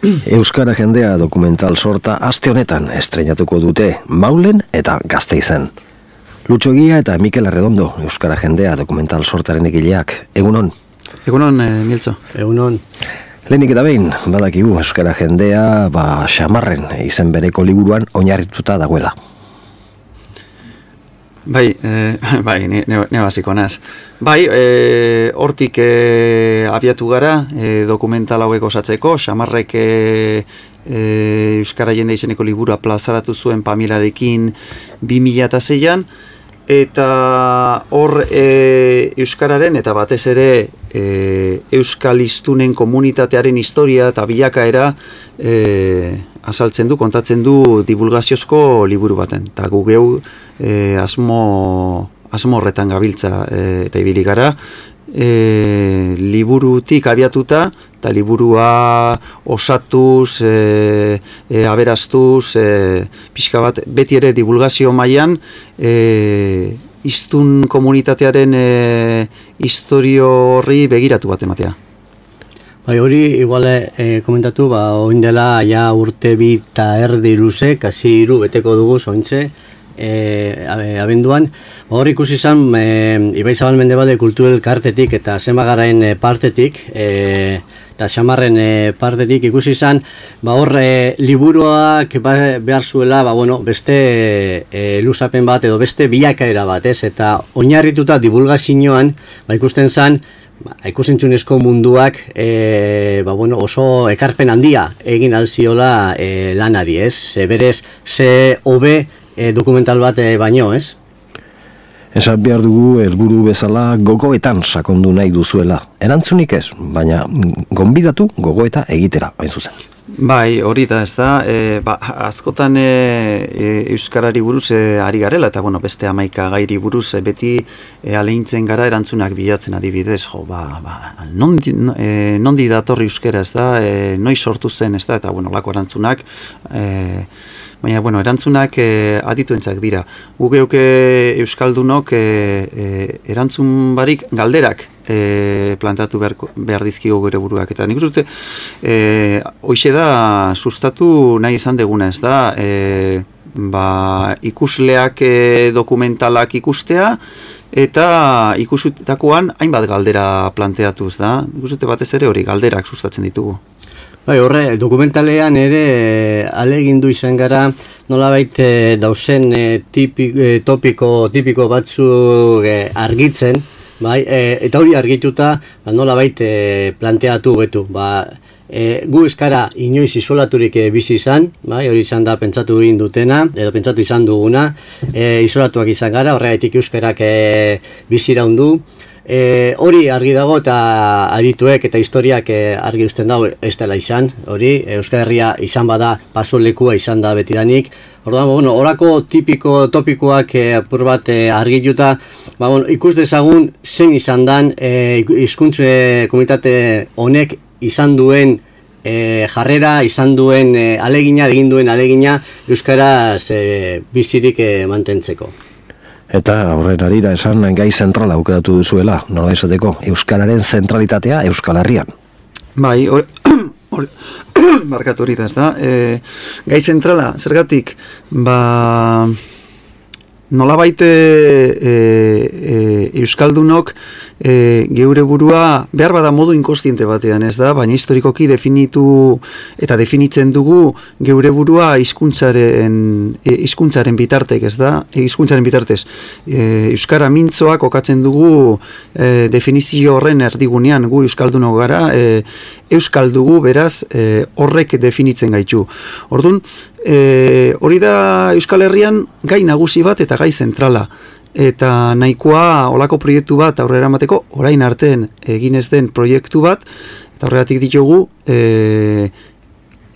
Euskara jendea dokumental sorta aste honetan estreinatuko dute Maulen eta Gasteizen. Lutxo Egia eta Mikel Arredondo, Euskara jendea dokumental sortaren egileak. Egunon? Egunon, Miltzo. Egunon. Lehenik eta behin, badakigu Euskara jendea Xamarren izen bereko liburuan oinarrituta dagoela. Bai, ne basiko naz. Bai, hortik abiatu gara dokumental hauek osatzeko, Xamarrek Euskara jende izeneko liburua plazaratu zuen Pamilarekin 2006an, eta hor Euskararen eta batez ere Euskal hiztunen komunitatearen historia eta bilakaera azaltzen du, kontatzen du divulgaziozko liburu baten. Eta gu geu asmo horretan gabiltza eta ibili gara, liburutik abiatuta eta liburua osatuz, aberastuz, pixka bat beti ere divulgazio mailan hiztun komunitatearen historio horri begiratu bat ematea. Bai, hori iguale komentatu, oin dela ja urte 2 eta erdi luze, kasi 3 beteko dugu zointze, abenduan. Hor ikusi izan, Ibaizabal Mendebalde Kulturel kartetik eta Zenbagarain partetik, eta Xamarren partetik ikusi izan, hor liburuak behar zuela, beste luzapen bat edo beste bilakaera bat, eta oinarrituta divulgazioan, ikusten zen, ikusentzunezko munduak oso ekarpen handia egin alziola lanari, berez, hobe dokumental bat baino, ez? Esan behar dugu helburu bezala gogoetan sakondu nahi duzuela. Erantzunik ez, baina gonbidatu gogoeta egitera, hain zuzen. Bai, hori da, ez da, askotan Euskarari buruz ari garela, eta beste 11 gairi buruz beti aleintzen gara erantzunak bilatzen adibidez, nondi datorri euskara, ez da, noiz sortu zen, ez da, eta lako erantzunak, baina, erantzunak adituentzak dira. Gu geuk euskaldunok erantzun barik galderak plantatu behar dizkigu gure buruak. Eta nik uste, hoxe da sustatu nahi izan deguna, ez da, ikusleak dokumentalak ikustea, eta ikusutakoan hainbat galdera planteatuz da. Nik uste batez ere hori galderak sustatzen ditugu. Bai, horre, dokumentalean ere alegindu izan gara nolabait dauzen tipiko batzuk argitzen, bai, eta hori argituta nolabait planteatu betu. Gu euskara inoiz isolaturik bizi izan, bai, hori izan da pentsatu egin dutena, edo pentsatu izan duguna, isolatuak izan gara, horregatik euskarak bizi iraundu. Hori argi dago eta adituek eta historiak argi uzten dago ez dela izan, hori Euskal Herria izan bada pasolekua izan da betidanik. Orduan, horako topikoak apur bat argituta, ikus dezagun zen izan dan hizkuntza komunitate honek izan duen jarrera, izan duen egin duen alegina euskaraz bizirik mantentzeko. Eta horren arira esan gai zentrala aukeratu duzuela, nola esateko, euskararen zentralitatea Euskal Herrian. Bai, markatu hori da, ez da. Gai zentrala, zergatik, nolabait euskaldunok geure burua behar bada modu inkostiente batean, ez da, baina historikoki definitzen dugu geure burua hizkuntzaren bitartek, ez da, hizkuntzaren bitartez. Euskara mintzoak okatzen dugu definizio horren erdigunean, gu euskaldunok gara, euskal dugu, beraz, horrek definitzen gaitu. Orduan, hori da Euskal Herrian gai nagusi bat eta gai zentrala. Eta nahikoa olako proiektu bat aurrera emateko, orain artean egin ez den proiektu bat, eta horregatik ditugu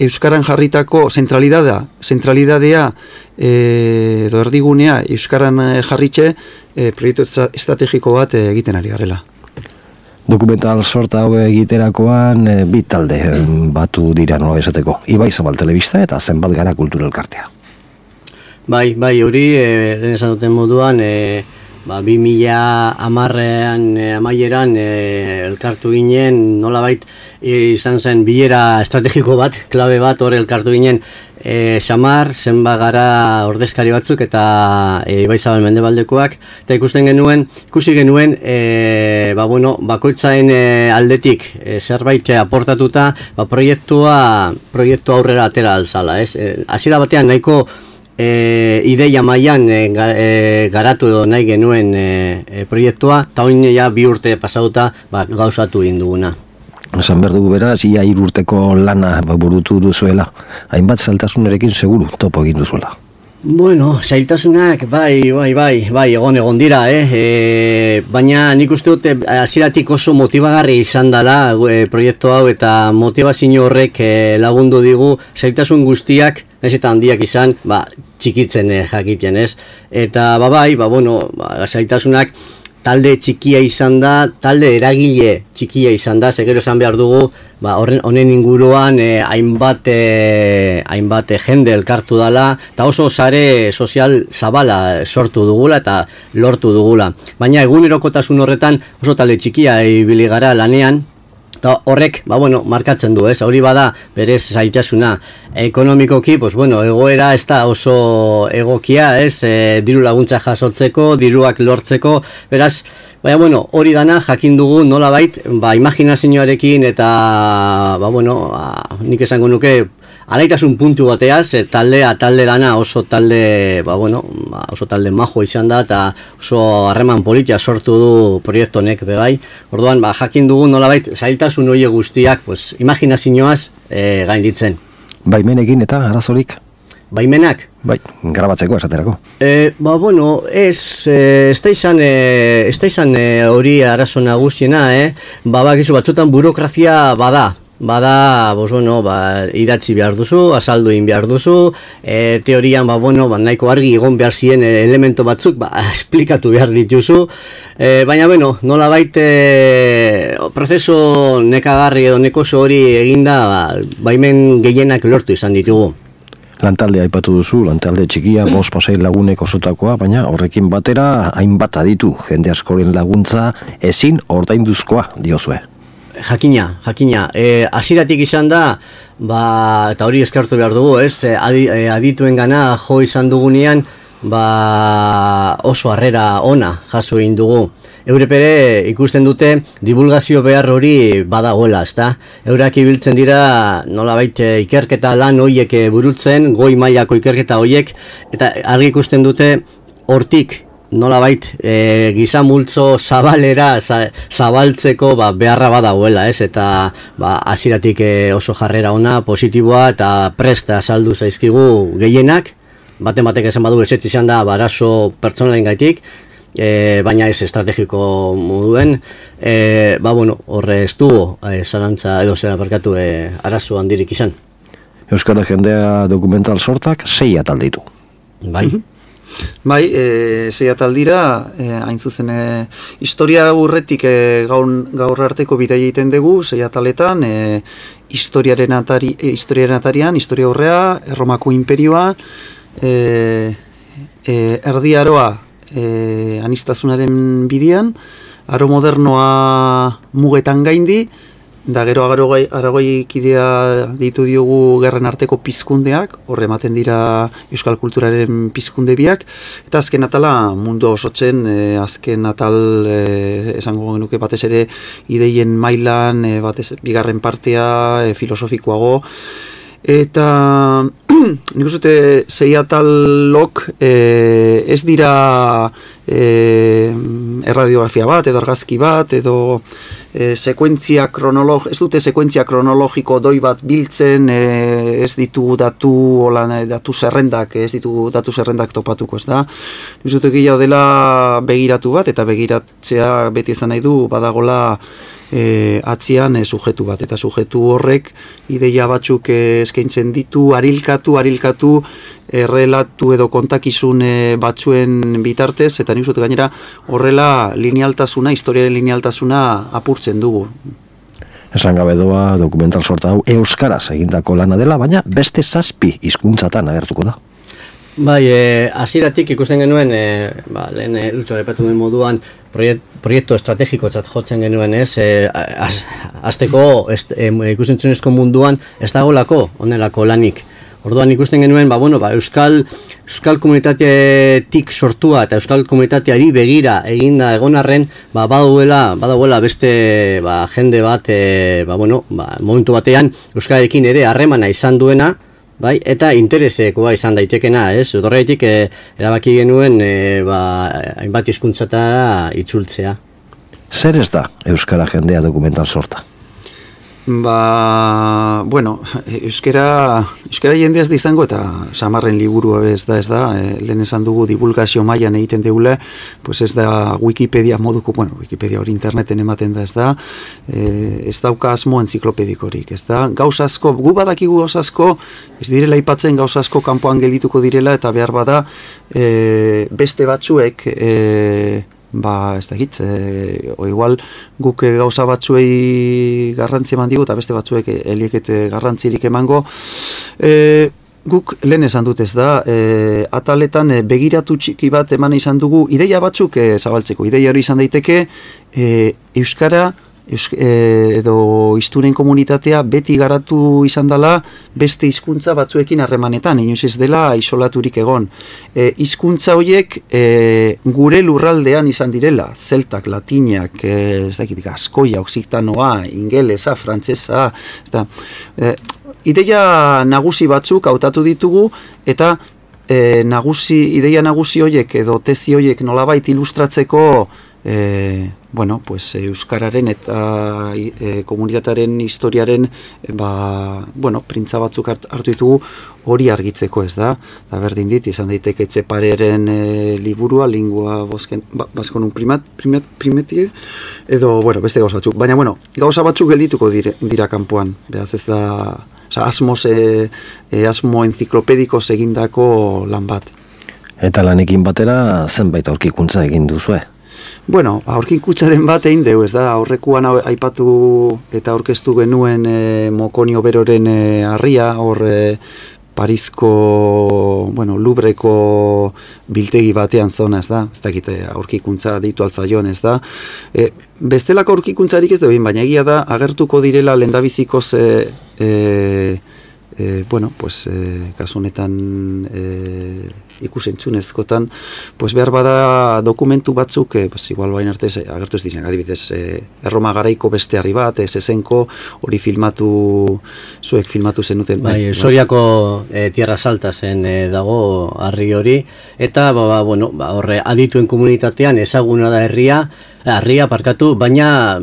Euskaran jarritako zentralidadea edo erdigunea Euskaran jarritxe proiektu estrategiko bat egiten ari garela. Dokumental sorta hau egiterakoan bi talde batu dira nola esateko. Ibaizabal Telebista eta Zenbagara Kulturel kartea. Bai, hori, lehen esan duten moduan, 2010 amaieran elkartu ginen nolabait izan zen bilera estrategiko bat, klabe bat, hor elkartu ginen, Xamar, Zenbagara ordezkari batzuk eta Ibaizabal Mendebaldekoak, eta ikusi genuen, bakoitzaen aldetik zerbait aportatuta, proiektu aurrera atera alzala, ez? Hasiera batean nahiko ideia mailan garatu edo nahi genuen proiektua, eta oin ja 2 urte pasauta gauzatu egin duguna. Esan behar dugu beraz, ia 3 urteko lana burutu duzuela. Hainbat zailtasunerekin seguru topo egin duzuela. Bueno, zailtasunak, bai, egon dira, baina nik uste dut hasieratik oso motibagarri izan dela proiektu hau eta motivazio horrek lagundu digu zailtasun guztiak, ez eta handiak izan, txikitzen jakiten, ez? Eta zailtasunak talde txikia izan da, talde eragile txikia izan da, segero esan behar dugu, honen inguruan hainbat jende elkartu dela, eta oso sare sozial zabala sortu dugula eta lortu dugula. Baina egunerokotasun horretan oso talde txikia ibili gara lanean, eta horrek, markatzen du, ez? Hori bada berez zailtasuna. Ekonomikoki, egoera ez da oso egokia, ez? Diru laguntza jasotzeko, diruak lortzeko, beraz, hori dana jakin dugu nolabait, imaginazioarekin eta, nik esango nuke, alaitasun puntu bateaz, talde dana oso talde, oso talde majo izan da, eta oso harreman politia sortu du proiektu honek bebai. Orduan, jakin dugu nolabait, zailtasun hori guztiak, imaginazioaz gainditzen. Baimenekin eta arazorik? Baimenak? Bai, grabatzeko esaterako. Ez da izan hori arazo nagusiena, bakizu batzutan burokrazia bada, idatzi behar duzu, azaldu egin behar duzu, teorian, nahiko argi egon behar ziren elemento batzuk, esplikatu behar dituzu, baina, nolabait prozeso nekagarri edo nekoso hori eginda, baimen gehienak lortu izan ditugu. Lantalde aipatu duzu, lantalde txikia, 5 lagunek osotakoa, baina horrekin batera hainbat aditu, jende askoren laguntza ezin ordainduzkoa diozue. Jakina, hasieratik izan da, eta hori eskartu behar dugu, adituen gana jo izan dugunean, oso harrera ona jaso egin dugu. Eurek ere ikusten dute divulgazio behar hori badagoela, ezta? Eurak ibiltzen dira nolabait ikerketa lan horiek burutzen, goi mailako ikerketa horiek, eta argi ikusten dute hortik nolabait giza multzo zabalera zabaltzeko beharra badagoela, ez? Eta hasieratik oso jarrera ona, positiboa eta presta azaldu zaizkigu gehienak, batek esan badu ezetz izan da arazo pertsonalen gaitik, baina ez estrategiko moduen, horre ez du zalantza edo zera parkatu arazo handirik izan. Euskara Jendea dokumental sortak 6 atal ditu. Bai. Bai, 6 atal dira, hain zuzen historia urretik gaur arteko bidea egiten dugu, 6 ataletan, historiaren atarian, historia aurrea, Erromako imperioa, Erdi Aroa aniztasunaren bidean, aro modernoa mugetan gaindi, da gero Aragoi kidea ditu diogu gerren arteko pizkundeak, horre ematen dira euskal kulturaren pizkunde biak, eta azken atala mundu osotzen, azken atal esango genuke batez ere ideien mailan, batez bigarren partea, filosofikoago, eta nik uste 6 atalok ez dira erradiografia bat edo argazki bat edo ez dute sekuentzia kronologiko doi bat biltzen, ez ditu datu zerrendak, ez ditu datu zerrendak topatuko, ez da? Nik uste gehiago dela begiratu bat, eta begiratzea beti esan nahi du badagola atzian sujetu bat, eta sujetu horrek ideia batzuk eskaintzen ditu, arilkatu, errelatu edo kontakizun batzuen bitartez, eta nik uste gainera horrela linealtasuna, historiaren linealtasuna apurtzen dugu. Esan gabe doa dokumental sorta hau euskaraz egindako lana dela, baina beste 7 hizkuntzatan agertuko da. Bai, hasieratik ikusten genuen, lehen Lutxo aipatu duen moduan, proiektu estrategikotzat jotzen genuen, ez? Azteko ikusentzunezko munduan ez dagoelako honelako lanik. Orduan ikusten genuen, euskal komunitatetik sortua eta euskal komunitateari begira eginda egon arren, badagoela beste jende bat, momentu batean euskararekin ere harremana izan duena, bai, eta interesekoa izan daitekena, ez? Horregatik erabaki genuen hainbat hizkuntzatara itzultzea. Zer ez da euskara jendea dokumental sorta? Euskara jendea ez da izango eta Samarren liburua ez da, lehen esan dugu divulgazio mailan egiten deule, pues ez da Wikipedia moduko, Wikipedia hori interneten ematen da, ez dauka asmo entziklopedikorik, ez da, gauz asko, gu badakigu gauz asko, ez direla aipatzen gauz asko kanpoan geldituko direla eta behar bada beste batzuek, ez da hitz, igual guk gauza batzuei garrantzi eman digu eta beste batzuek eliekete garrantzirik emango. Guk lehen esan dut, ez da, ataletan begiratu txiki bat eman izan dugu, ideia batzuk zabaltzeko, ideia hori izan daiteke, euskara edo hiztunen komunitatea beti garatu izan dela beste hizkuntza batzuekin harremanetan, inoiz ez dela isolaturik egon. Hizkuntza horiek gure lurraldean izan direla, zeltak, latinak, askoia, oksitanoa, ingelesa, frantsesa, ideia nagusi batzuk hautatu ditugu eta ideia nagusi horiek edo tesi horiek nolabait ilustratzeko euskararen eta komunitatearen historiaren printza batzuk hartu ditugu hori argitzeko, ez da? Da berdin dit, izan daiteke Etxepareren liburua, lingua baskonun primetie, edo, beste gauza batzuk. Baina, gauza batzuk geldituko dira kanpoan, behaz ez da, asmo enziklopediko egindako lan bat. Eta lanekin batera zenbait aurkikuntza egin duzue? Aurkikuntzaren bat egin deu, ez da, aurrekuan aipatu eta aurkeztu genuen Mokonio Beroren harria, hor Parisko, Lubreko biltegi batean zona, ez da, ez dakite aurkikuntza ditu altzaion, ez da. Bestelako aurkikuntzarik ez da, baina egia da, agertuko direla lehendabizikoz kasunetan ikusentzunezkotan, behar bada dokumentu batzuk, igual bain arte agertu ez diren, adibidez, Erroma garaiko beste harri bat, Zezenko, hori zuek filmatu zenuten. Soriako Tierra Salta zen dago harri hori, eta horre adituen komunitatean ezaguna da harria parkatu, baina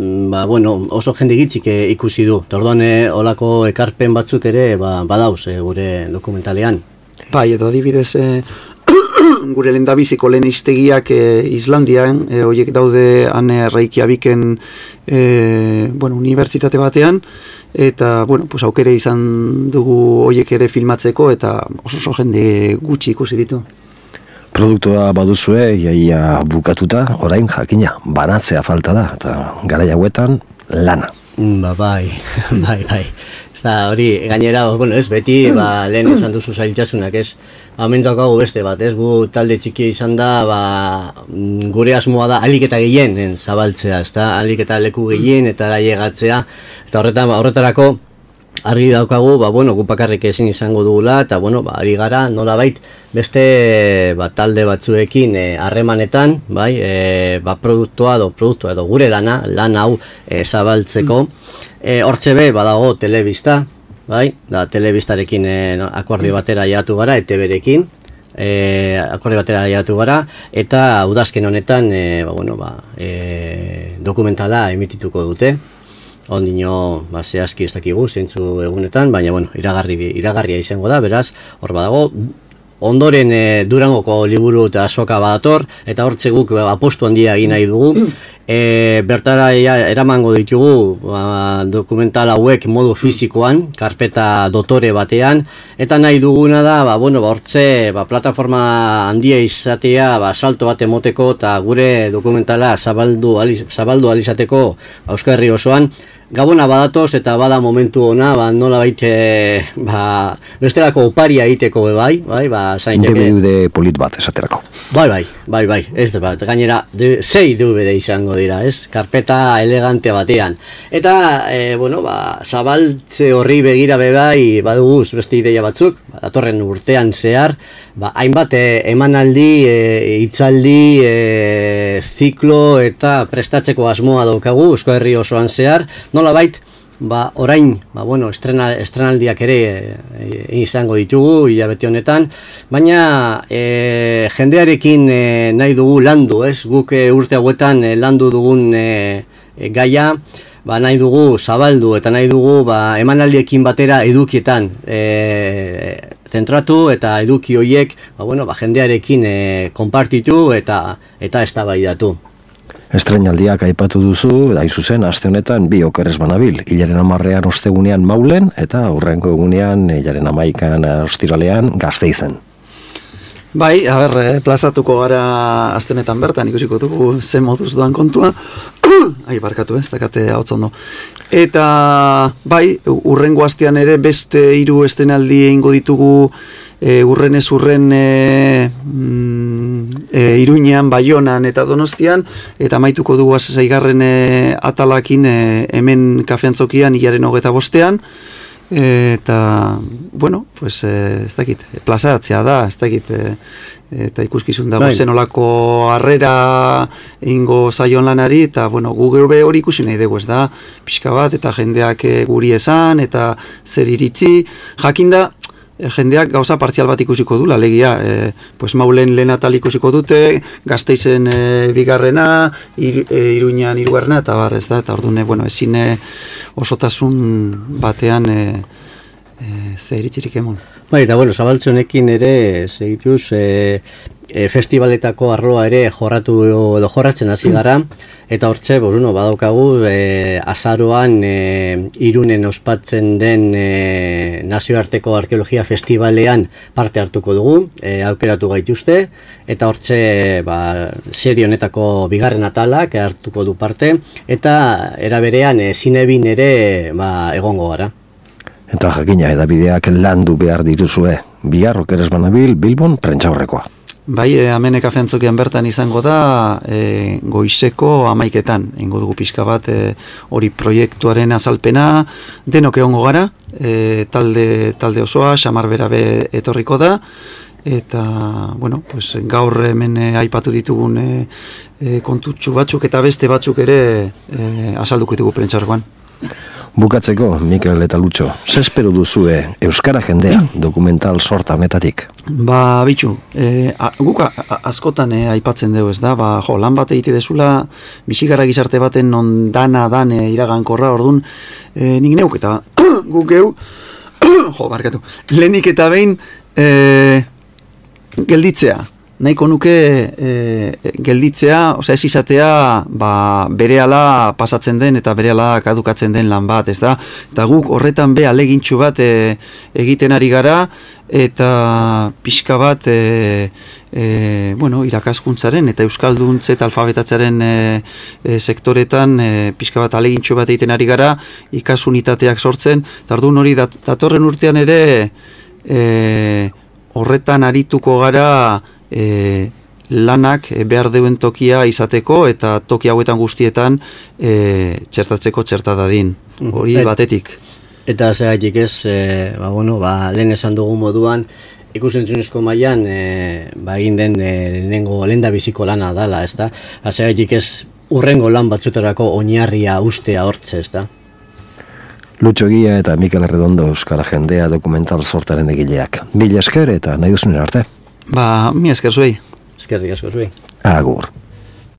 oso jende gitzik ikusi du. Orduan olako ekarpen batzuk ere badauz gure dokumentalean. Edo adibidez gure lehendabiziko lehen hiztegiak Islandian, horiek daude han Reykjaviken unibertsitate batean, eta aukere izan dugu horiek ere filmatzeko, eta oso jende gutxi ikusi ditu. Produktua baduzue, iaia bukatuta, orain jakina, banatzea falta da, eta garai hauetan lana. Bai. Eta hori, gainera, ez beti, lehen esan duzu zailtasunak, ez? Amentuak hau beste bat, ez? Gu talde txiki izan da, gure asmoa da alik eta gehien zabaltzea, ez da? Alik eta leku gehien eta laiegatzea, eta horretarako argi daukagu, gu bakarrik ezin izango dugula, eta ari gara nolabait beste talde batzuekin harremanetan, produktua edo gure lan hau zabaltzeko. Hortxe badago telebista, da telebistarekin akordio batera jatu gara, ETB-rekin, akordio batera jatu gara, eta udazken honetan dokumentala emitituko dute. Ondino, zehazki ez dakigu, zeintzu egunetan, baina, iragarria izango da, beraz, hor badago, ondoren Durangoko liburu eta azoka badator, eta hortze guk apostu handia egin nahi dugu. Bertara eramango ditugu dokumental hauek modu fizikoan, karpeta dotore batean, eta nahi duguna da, hortze plataforma handia izatea, salto bat emoteko, eta gure dokumentala zabaldu alizateko Euskal Herri osoan, Gabona badatoz eta bada momentu ona, nola baite, bestelako oparia egiteko bai, zainteke. DVD polit bat esaterako. Bai, ez da bat, gainera, 6 DVD izango dira, ez? Karpeta elegante batean. Eta, zabaltze horri begira bai, baduguz beste ideia batzuk, datorren urtean zehar, hainbat emanaldi, hitzaldi, ziklo eta prestatzeko asmoa daukagu, Euskal Herri osoan zehar, nola bait, orain, estrenaldiak ere izango ditugu, hilabete honetan, baina jendearekin nahi dugu landu, ez? Guk urte hauetan landu dugun gaia, nahi dugu zabaldu eta nahi dugu emanaldiekin batera edukietan zentratu eta eduki horiek jendearekin konpartitu eta eztabaidatu. Estreinaldiak aipatu duzu, da zuzen, aste honetan bi okerrez banabil. Hilaren 10ean ostegunean Maulen eta aurrengo egunean hilaren 11ean ostiralean Gasteizen. Bai, plazatuko gara aste honetan bertan, ikusiko dugu ze moduz doan kontua. Barkatu, ez dakate hau ondo. Eta, urrengo astean ere beste 3 estrenaldi egingo ditugu urrenez urren Iruñean, Baionan eta Donostian, eta maituko dugu 6. atalakin hemen kafeantzokian hilaren 25ean, eta, ez dakit, plazatzea da, ez dakit, eta ikuskizun dago zenolako harrera ingo zaion lanari, eta, gu geube hori ikusi nahi dugu, ez da, pixka bat, eta jendeak guri esan, eta zer iritzi, jakinda, jendeak gauza partzial bat ikusiko du, alegia, Maulen lehen atal ikusiko dute, Gasteizen bigarrena, Iruñan 3. eta ez da, eta orduan, ezin osotasun batean ze iritzirik emon. Eta zabaltze honekin ere, segituz, festivaletako arloa ere jorratzen hasi gara, eta hortxe, badaukagu, azaroan Irunen ospatzen den nazioarteko arkeologia festivalean parte hartuko dugu, aukeratu gaituzte, eta hortxe, serie honetako bigarren atalak hartuko du parte, eta eraberean zinebin ere egongo gara. Eta jakina, edabideak landu behar dituzue, bihar okerrez banabil Bilbon prentsaurrekoa. Bai, hemen kafeantzokian bertan izango da goizeko 11etan, ingo dugu pixka bat hori proiektuaren azalpena, denok egongo gara, talde osoa, Xamar Berabe etorriko da, eta, gaur hemen aipatu ditugun kontutxu batzuk eta beste batzuk ere azalduko ditugu prentsaurrekoan. Bukatzeko, Mikel eta Lutxo, ze espero duzue euskara jendea dokumental sorta honetatik? Bitxu, guk askotan aipatzen dugu, ez da, lan bat egite dezula, bizigara gizarte baten non dana iragankorra, orduan, nik neuk eta guk geu, barkatu, lehenik eta behin gelditzea. Nahiko nuke gelditzea, ez izatea berehala pasatzen den eta berehala kadukatzen den lan bat, ez da? Eta guk horretan alegintxu bat egiten ari gara, eta pixka bat irakaskuntzaren eta euskalduntze eta alfabetatzaren sektoretan pixka bat alegintxu bat egiten ari gara, ikasunitateak sortzen, eta orduan hori datorren urtean ere horretan arituko gara lanak behar deuen tokia izateko eta toki hauetan guztietan txertatzeko txertadadin. Hori batetik. Eta zeratik ez, lehen esan dugu moduan, ikusentzunezko mailan egin den lenda biziko lana dala, ez da? Zeratik ez urrengo lan batzutarako oinarria ustea hortze, ez da? Lutxo Egia eta Mikel Arredondo euskara jendea dokumental sortaren egileak. Mila esker eta nahi duzunen arte. Mi esker zuei. Eskerrik asko zuei. Agur.